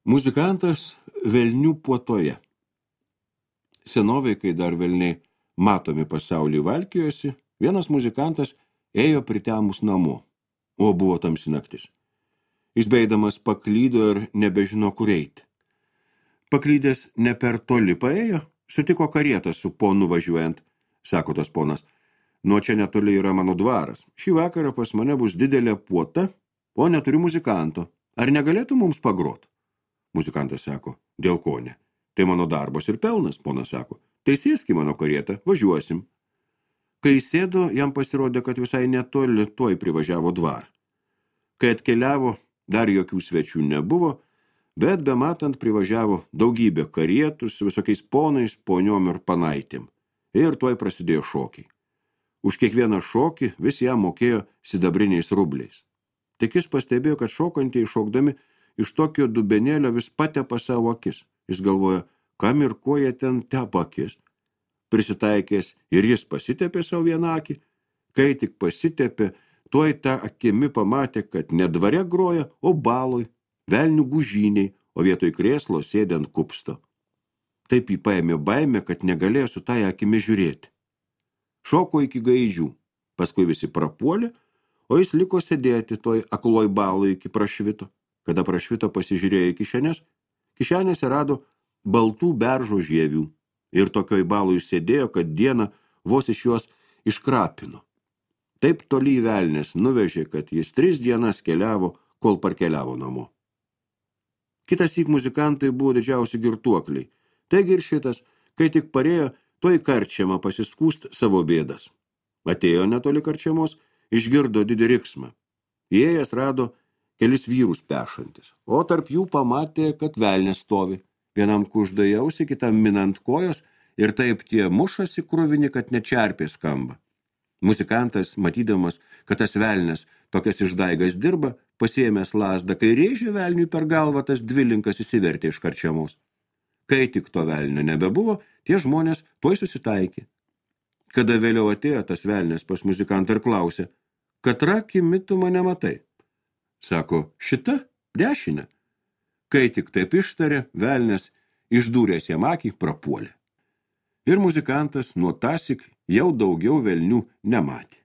Muzikantas velnių puotoje. Senovėj, kai dar velniai matomi pasaulį valkijosi, vienas muzikantas ėjo pritemus namo, o buvo tamsi naktis. Jis beidamas paklydo ir nebežino, kur eiti. Paklydęs ne per toli paėjo, sutiko karietą su ponu važiuojant, sako tas ponas. Nuo čia netoli yra mano dvaras. Šį vakarą pas mane bus didelė puota, o neturiu muzikanto. Ar negalėtų mums pagrot? Muzikantas sako, dėl ko ne? Tai mano darbas ir pelnas, ponas sako. Tai sėsk į mano karietą, važiuosim. Kai sėdo, jam pasirodė, kad visai netoli tuoj privažiavo dvarą. Kai atkeliavo, dar jokių svečių nebuvo, bet bematant privažiavo daugybė karietų su visokiais ponais, poniom ir panaitėm. Ir tuoj prasidėjo šokiai. Už kiekvieną šokį vis jam mokėjo sidabriniais rubliais. Tik jis pastebėjo, kad šokantieji šokdami iš tokio dubenėlio vis patepa savo akis. Jis galvoja, kam ir ko jie ten tepa akis. Prisitaikęs ir jis pasitepė savo vieną akį. Kai tik pasitepė, tuoj tą akimi pamatė, kad ne dvare groja, o baloj, velnių gužyniai, o vietoj krėslo sėdė ant kupsto. Taip jį paėmė baimė, kad negalėjo su tai akimi žiūrėti. Šoko iki gaidžių, paskui visi prapuolė, o jis liko sėdėti toj akloj baloj iki prašvito. Kada prašvito pasižiūrėjo į kišenės, kišenėse rado baltų beržo žievių ir tokioj baloj sėdėjo, kad dieną vos iš juos iškrapino. Taip toli velnės nuvežė, kad jis 3 dienas keliavo, kol parkeliavo namo. Kitąsyk muzikantai buvo didžiausi girtuokliai. Taigi ir šitas, kai tik parėjo, toj karčiamą pasiskūst savo bėdas. Atėjo netoli karčiamos, išgirdo didį riksmą. Įėjęs rado kelis vyrus pešantis, o tarp jų pamatė, kad velnės stovi. Vienam kužda į ausį, kitam minant kojos ir taip tie mušasi kruvini, kad nečerpė skamba. Muzikantas, matydamas, kad tas velnės tokias išdaigas dirba, pasiėmęs lazdą, kai rėžė velniui per galvą, tas dvilinkas įsivertė iš karčiamos. Kai tik to velnio nebebuvo, tie žmonės tuoj susitaikė. Kada vėliau atėjo tas velnės pas muzikantą ir klausė, katra akimi tu mane matai? Sako, šita, dešinė. Kai tik taip ištarė, velnės išdūręs jam akį prapuolė. Ir muzikantas nuo tąsyk jau daugiau velnių nematė.